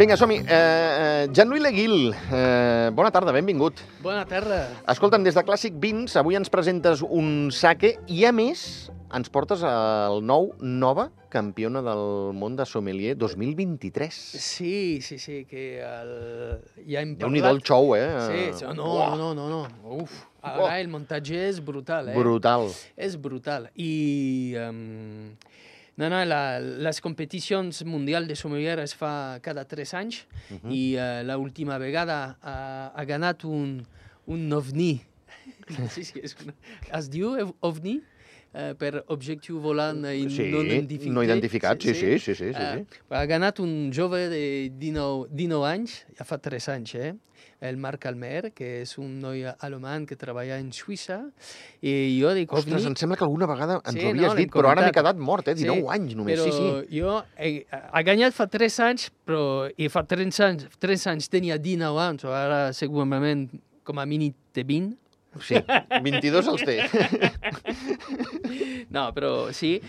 Vinga, som-hi. Jean-Louis Leguil, bona tarda, benvingut. Bona tarda. Escolta'm, des de Clàssic Vins, avui ens presentes un sake i, a més, ens portes el nova campiona del món de sommelier 2023. Sí, que ja hem parlat. Déu-n'hi-do el xou, Sí, no. Uf, ara el muntatge és brutal, Brutal. És brutal. I les competicions mundials de sommelier es fa cada 3 anys i l'última vegada ha ganat un ovni. Sí, es diu ovni? Per objectiu volant no identificat. No identificat, sí. Ha ganat un jove de 19 anys, ja fa 3 anys, el Marc Almer, que és un noi alemany que treballa en Suïssa, i jo dic... Ostres, em sembla que alguna vegada ens ho havies dit, però ara m'he quedat mort, 19 anys només, sí. Però jo ha guanyat fa 3 anys, però fa 3 anys tenia 19 anys, ara segurament com a mínim té 20. Sí, 22 els té. No, però sí.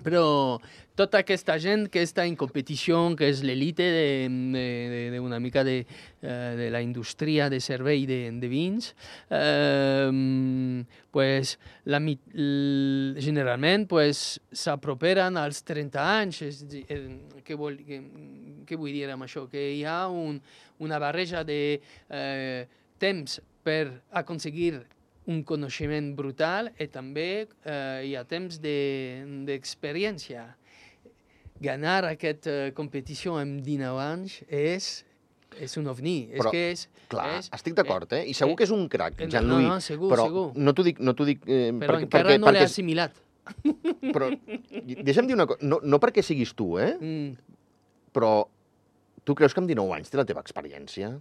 Però tota aquesta gent que està en competició, que és l'elite d'una mica de la indústria de servei de vins, pues, generalment s'aproperen als 30 anys. Què vull dir amb això? Que hi ha una barreja de temps per aconseguir un coneixement brutal i també hi ha temps d'experiència. Ganar aquesta competició amb 19 anys és un ovni. Però, clar, estic d'acord, I segur que és un crac, Jean-Louis. No, segur. Però no t'ho dic... Però encara no l'he assimilat. Però deixa'm dir una cosa, no perquè siguis tu, però tu creus que amb 19 anys té la teva experiència?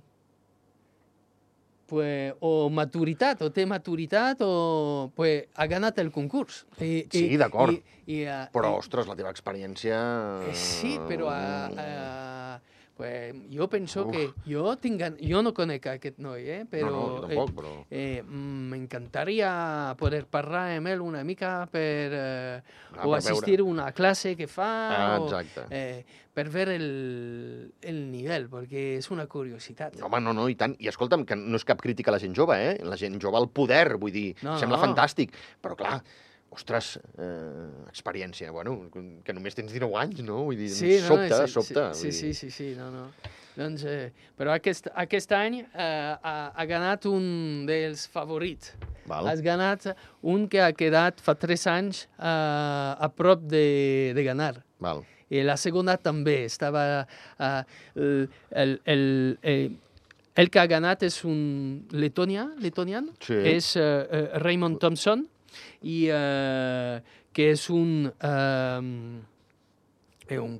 O maturitat, o té maturitat, o ha ganat el concurs. Sí, d'acord. Però, ostres, la teva experiència... Sí, però jo penso que... Jo no conec aquest noi, però... No, jo tampoc, però... M'encantaria poder parlar amb ell una mica o assistir a una classe que fa... Exacte. Per veure el nivell, perquè és una curiositat. Home, no, i tant. I escolta'm, que no és cap crítica a la gent jove, La gent jove al poder, vull dir, sembla fantàstic. Però, clar, ostres, experiència, bueno, que només tens 19 anys, no? Vull dir, sobta. Sí, no. Doncs, però aquest any ha ganat un dels favorits. Has ganat un que ha quedat fa 3 anys a prop de ganar. Val. I la segona també estava... El que ha ganat és un letonian, és Raymond Thompson, i que és un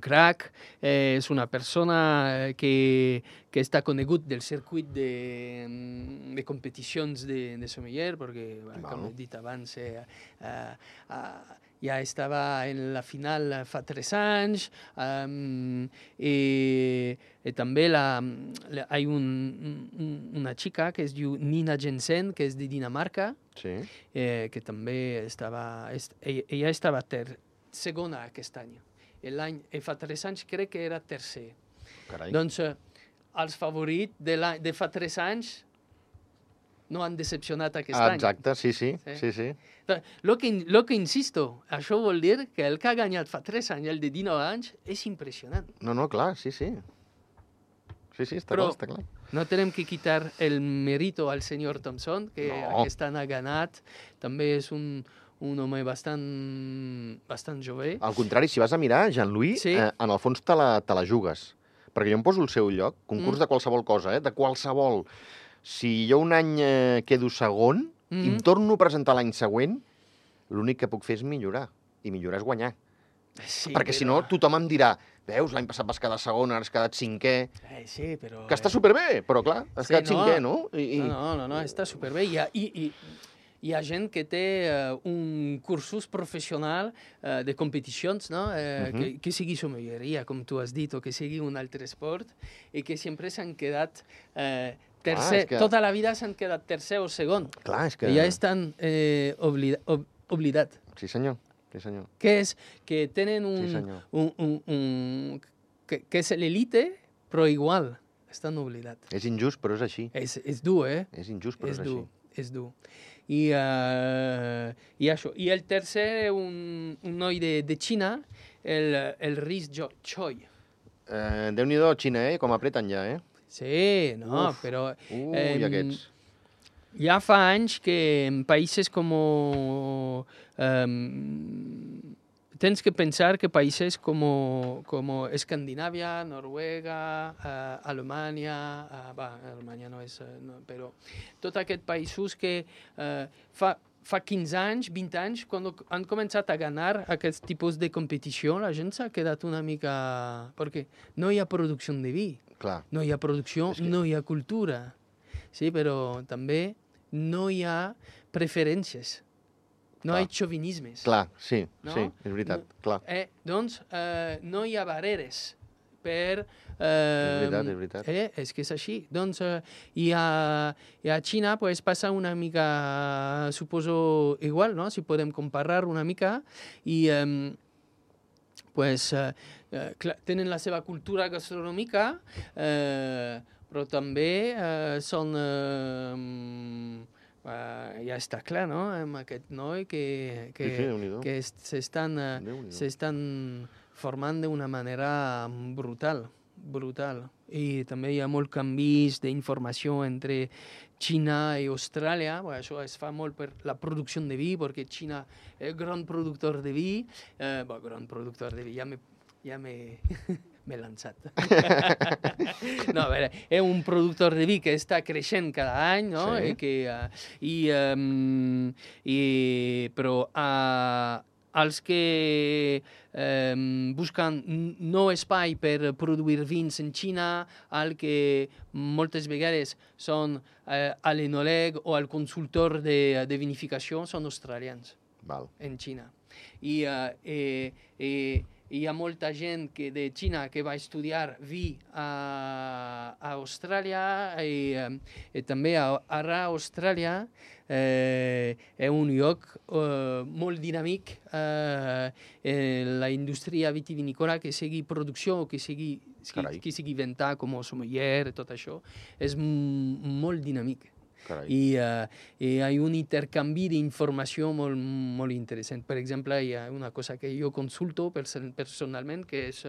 crack, és una persona que està conegut del circuit de competicions de sommelier, perquè, com he dit abans, ja estava en la final fa 3 anys, i també hi ha una xica que es diu Nina Jensen, que és de Dinamarca, que també ella estava segona aquest any. Fa 3 anys crec que era tercer. Doncs els favorits de fa 3 anys no han decepcionat aquest any. Exacte, sí. Lo que insisto, això vol dir que el que ha guanyat fa 3 anys, el de 19 anys, és impressionant. No, clar, sí. Sí, està clar. No tenim que quitar el mérito al senyor Thompson, que aquest any ha ganat. També és un home bastant jove. Al contrari, si vas a mirar, Jean-Louis, en el fons te la jugues. Perquè jo em poso al seu lloc, concurs de qualsevol cosa, de qualsevol. Si jo un any quedo segon i em torno a presentar l'any següent, l'únic que puc fer és millorar. I millorar és guanyar. Perquè si no, tothom em dirà, veus, l'any passat vas quedar segon, ara has quedat cinquè. Sí, però... Que està superbé, però clar, has quedat cinquè, no? No, està superbé. Hi ha gent que té un cursus professional de competicions, no? Que sigui sommelleria, com tu has dit, o que sigui un altre esport, i que sempre s'han quedat tercer. Tota la vida s'han quedat tercer o segon. Clar, és que... I ja estan oblidats. Sí, senyor. Sí, senyor. Que tenen que és l'elite, però igual estan oblidats. És injust, però és així. És dur, eh? És injust, però és així. És dur. I això. I el tercer, un noi de Xina, el Rhys Choi. Déu-n'hi-do, Xina, com apreten ja, Sí, no, però... I aquests. Ja fa anys que en països com... tens que pensar que països com Escandinàvia, Noruega, Alemanya, Alemanya no és... però tots aquests països que fa 15 anys, 20 anys, quan han començat a ganar aquest tipus de competició, la gent s'ha quedat una mica... Perquè no hi ha producció de vi. Clar. No hi ha producció, no hi ha cultura. Sí, però també no hi ha preferències. No hi ha xovinismes. Clar, sí, no? Sí, és veritat, clar. Doncs no hi ha barreres per... és veritat. És que és així. Doncs i a Xina pues, passa una mica, suposo, igual, no? Si podem comparar una mica. I pues, clar, tenen la seva cultura gastronòmica, però també són... ja està clar, no?, amb aquest noi que s'estan formant d'una manera brutal. I també hi ha molt canvis d'informació entre Xina i Austràlia. Això es fa molt per la producció de vi, perquè Xina és gran productor de vi. Gran productor de vi, ja m'he lançat. No, a veure, és un productor de vi que està creixent cada any, no? Sí. Però els que busquen nou espai per produir vins en Xina, el que moltes vegades són a l'enòleg o al consultor de vinificació, són australians. Val. En Xina. Hi ha molta gent de Xina que va estudiar vi a Austràlia i també ara a Austràlia és un lloc molt dinàmic la indústria vitivinícola, que sigui producció, que sigui venta com a sommelier, tot això, és molt dinàmic. I hi ha un intercanvi d'informació molt, molt interessant. Per exemple, hi ha una cosa que jo consulto personalment, que és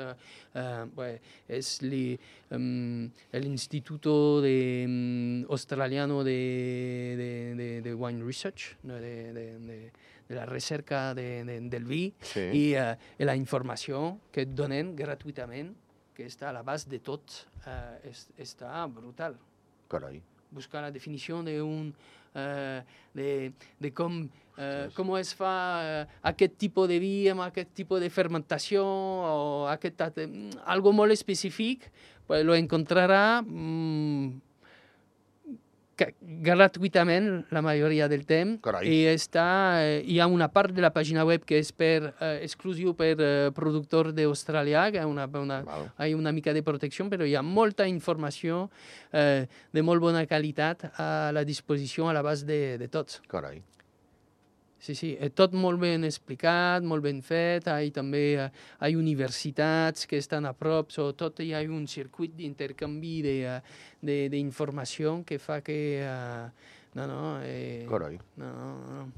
l'Instituto Australiano de Wine Research, de la recerca del vi, sí. I la informació que et donen gratuïtament, que està a l'abast de tot, està brutal. Carai. Buscar la definició de com es fa aquest tipus de vi amb aquest tipus de fermentació o algo molt específic, pues lo encontrarà gratuïtament la majoria del temps. Carai. I hi ha una part de la pàgina web que és exclusiu per productor d'Austràlia, que hi ha una mica de protecció, però hi ha molta informació de molt bona qualitat a la disposició, a l'abast de tots. Carai. Sí, tot molt ben explicat, molt ben fet. També hi ha universitats que estan a prop, sobretot hi ha un circuit d'intercanvi d'informació que fa que... Carai. No.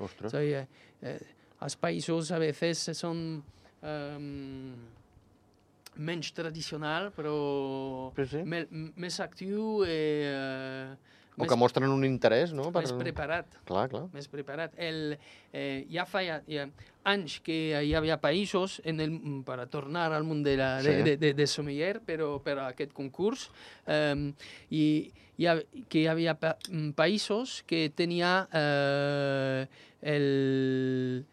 Ostres. Els països a vegades són menys tradicional, però més actiu o que mostren un interès, no? Més preparat. Clar. Més preparat. Ja fa anys que hi havia països, per a tornar al món de sommelier, però per a aquest concurs, que hi havia països que tenia el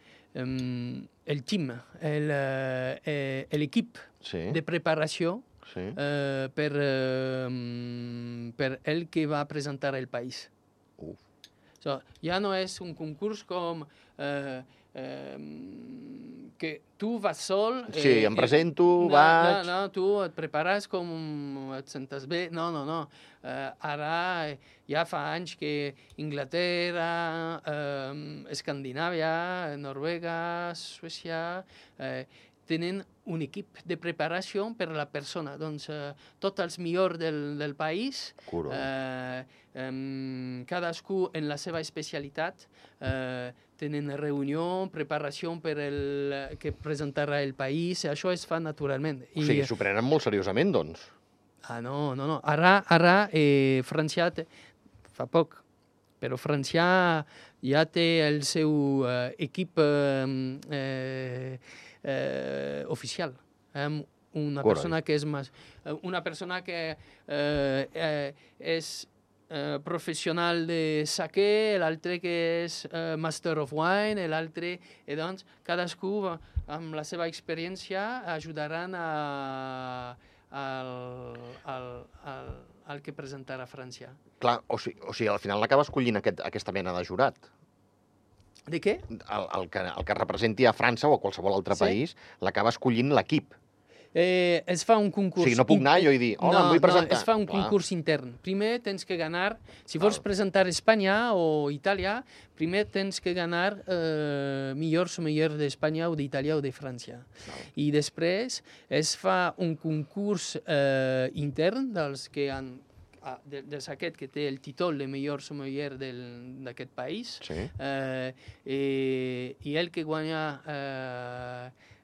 team, l'equip de preparació per el que va presentar el país. Ja no és un concurs com que tu vas sol... Sí, em presento, vaig... No, tu et prepares com et sentes bé. No. Ara ja fa anys que Inglaterra, Escandinàvia, Noruega, Suècia... tenen un equip de preparació per a la persona. Doncs tots els millors del país, cadascú en la seva especialitat, tenen reunió, preparació per que presentarà el país, això es fa naturalment. O sigui, s'ho prenen molt seriosament, doncs. No. Ara França fa poc, però França ja té el seu equip oficial. Una persona que és una persona que és professional de saquer, l'altre que és Master of Wine, l'altre... doncs, cadascú, amb la seva experiència, ajudaran al que presentarà França. Clar, o sigui, al final l'acaba escollint aquesta mena de jurat. De què? El que representi a França o a qualsevol altre país, l'acaba escollint l'equip. Es fa un concurs... O sigui, no puc anar jo i dir, hola, em vull presentar. No, es fa un concurs intern. Primer tens que ganar, si vols presentar Espanya o Itàlia, primer tens que ganar millor sommelier d'Espanya o d'Itàlia o de França. I després es fa un concurs intern dels que han dels aquest que té el títol de millor sommelier d'aquest país, i el que guanya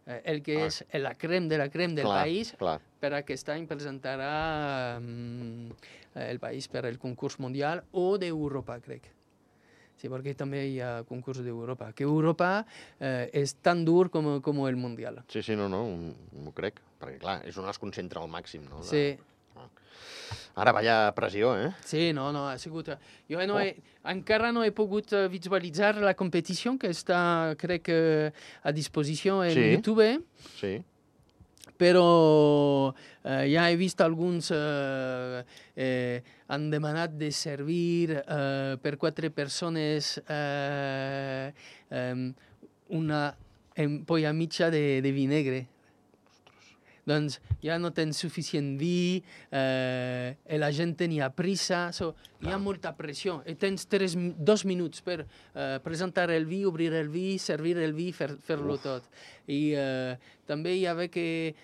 el que és la crem de la crem del país, per aquest any presentarà el país per al concurs mundial o d'Europa, crec. Sí, perquè també hi ha concurs d'Europa, que Europa és tan dur com el mundial. Sí, no, m'ho crec, perquè clar, és on es concentra al màxim, no? Sí. Ara, vaya pressió, eh? Sí, no, ha sigut... Jo encara no he pogut visualitzar la competició, que està, crec, a disposició en YouTube. Sí. Però ja he vist alguns han demanat de servir per 4 persones una ampolla mitja de vi negre. Doncs ja no tens suficient vi, la gent tenia prisa, hi ha molta pressió. Tens 2 minuts per presentar el vi, obrir el vi, servir el vi, fer-lo tot. I també hi havia que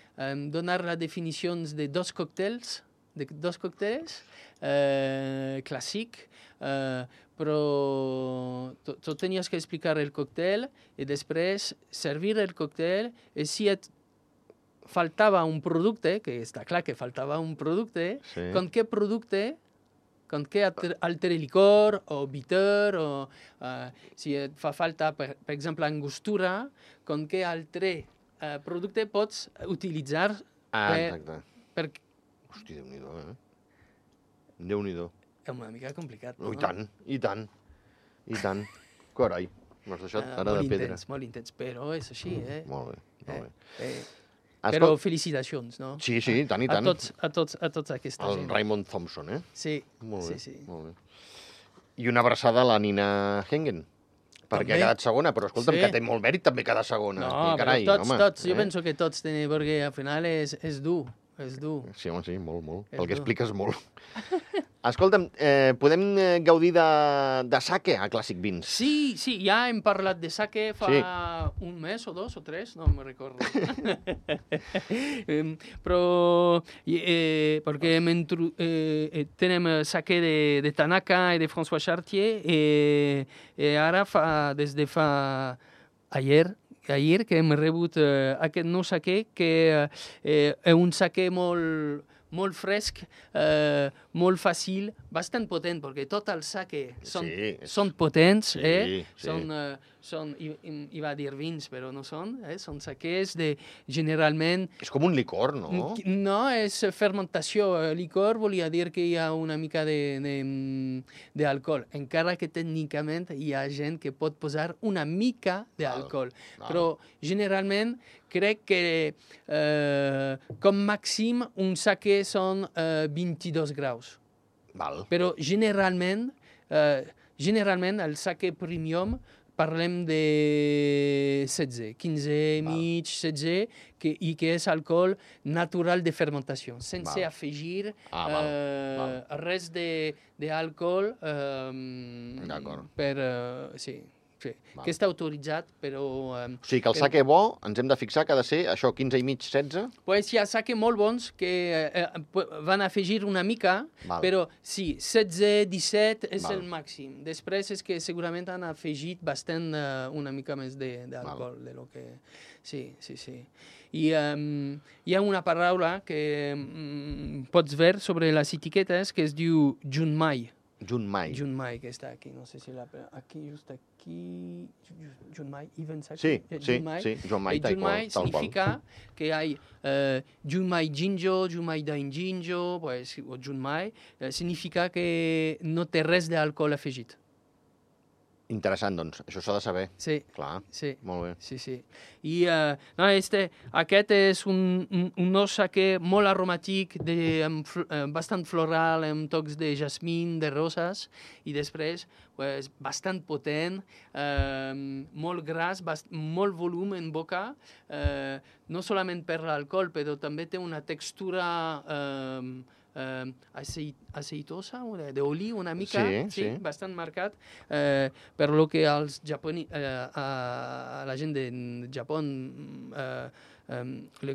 donar les definicions de 2 còctels, clàssic, però tu tenies que explicar el còctel i després servir el còctel i si faltava un producte, que està clar que faltava un producte, con què producte, con què altre licor o bitter, o si et fa falta, per exemple, angostura, con què altre producte pots utilitzar per... Hosti, Déu-n'hi-do, Déu-n'hi-do. És una mica complicat, no? I tant. Carai, m'has deixat ara de pedra. Molt intens, però és així, Molt bé. Però felicitacions, no? Sí, i tant. A tots aquesta gent. El Raymond Thompson, eh? Sí. Molt bé. I una abraçada a la Nina Hengen, perquè ha quedat segona, però escolta'm, que té molt mèrit també cada segona. No, però tots, jo penso que tots tenen, perquè al final és dur. Sí, home, sí, molt. Pel que expliques molt. Escolta'm, podem gaudir de sake a Clàssic Vins? Sí, ja hem parlat de sake fa un mes o 2 o 3, no me'n recordo. Però perquè tenim sake de Tanaka i de François Chartier i ara des de fa ahir que hem rebut aquest nou sake, que és un sake molt fresc, molt fàcil, bastant potent, perquè tot el sake són potents, hi va dir vins, però no són, són sakes generalment... És com un licor, no? No, és fermentació. Licor volia dir que hi ha una mica d'alcohol, encara que tècnicament hi ha gent que pot posar una mica d'alcohol. Però generalment crec que com màxim un sake són 22 graus. Però generalment el sake premium parlem de 16, 15 mig, 16, i que és alcohol natural de fermentació, sense afegir res d'alcohol per... sí. Que està autoritzat, però... O sigui que el sake bo ens hem de fixar que ha de ser això, 15 i mig, 16? Pues hi ha sake molt bons que van afegir una mica, però sí, 16, 17 és el màxim. Després és que segurament han afegit bastant una mica més d'alcohol. Sí. I hi ha una paraula que pots veure sobre les etiquetes que es diu Junmai. Junmai, que està aquí, no sé si aquí, just aquí, Junmai, even sake. Sí, Junmai tal qual. Significa que hay Junmai Jinjo, Junmai Dain Jinjo, pues, o Junmai, significa que no té res d'alcohol afegit. Interessant, doncs. Això s'ha de saber. Sí. Clar, molt bé. Sí. I aquest és un sake molt aromàtic, bastant floral, amb tocs de jasmín, de roses, i després bastant potent, molt gras, molt volum en boca, no solament per l'alcohol, però també té una textura aceitosa, d'oli una mica, sí, bastant marcat, per lo que als a la gent de Japó le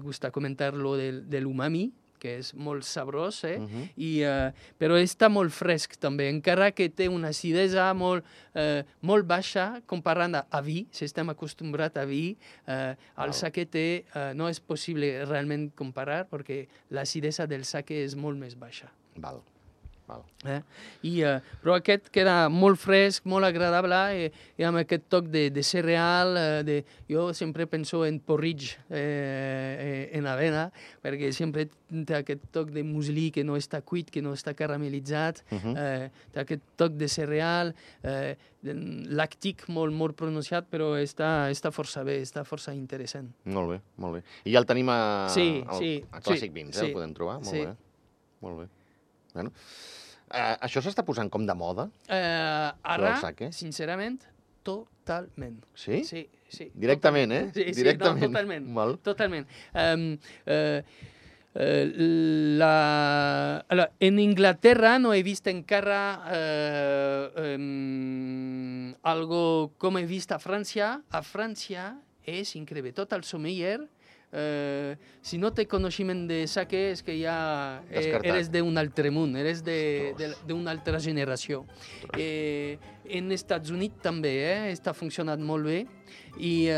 gusta comentar lo de l'umami, que és molt sabrós, però està molt fresc també, encara que té una acidesa molt baixa comparant a vi, si estem acostumbrats a vi, el sake no és possible realment comparar perquè l'acidesa del sake és molt més baixa. Val. Però aquest queda molt fresc, molt agradable, i amb aquest toc de cereal, jo sempre penso en porridge en avena, perquè sempre té aquest toc de muslí que no està cuit, que no està caramelitzat, té aquest toc de cereal, làctic molt pronunciat, però està força bé, està força interessant. Molt bé. I ja el tenim a Classic Beans, el podem trobar? Molt bé. Bueno, això s'està posant com de moda? Ara, sincerament, totalment. Sí? Sí. Directament, Sí, directament. No, totalment. En Inglaterra no he vist encara algo com he vist a França. A França és increïble. Tot el sommelier, si no té coneixement de sake, és que ja eres d'un altre món, eres d'una altra generació. En Estats Units també està funcionant molt bé, i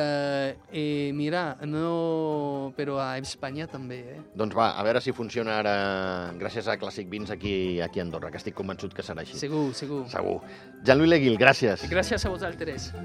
mira, però a Espanya també. Doncs va, a veure si funciona ara gràcies a Classic Beans aquí a Andorra, que estic convençut que serà així. Segur. Jean-Louis Leguil, gràcies. Gràcies a vosaltres.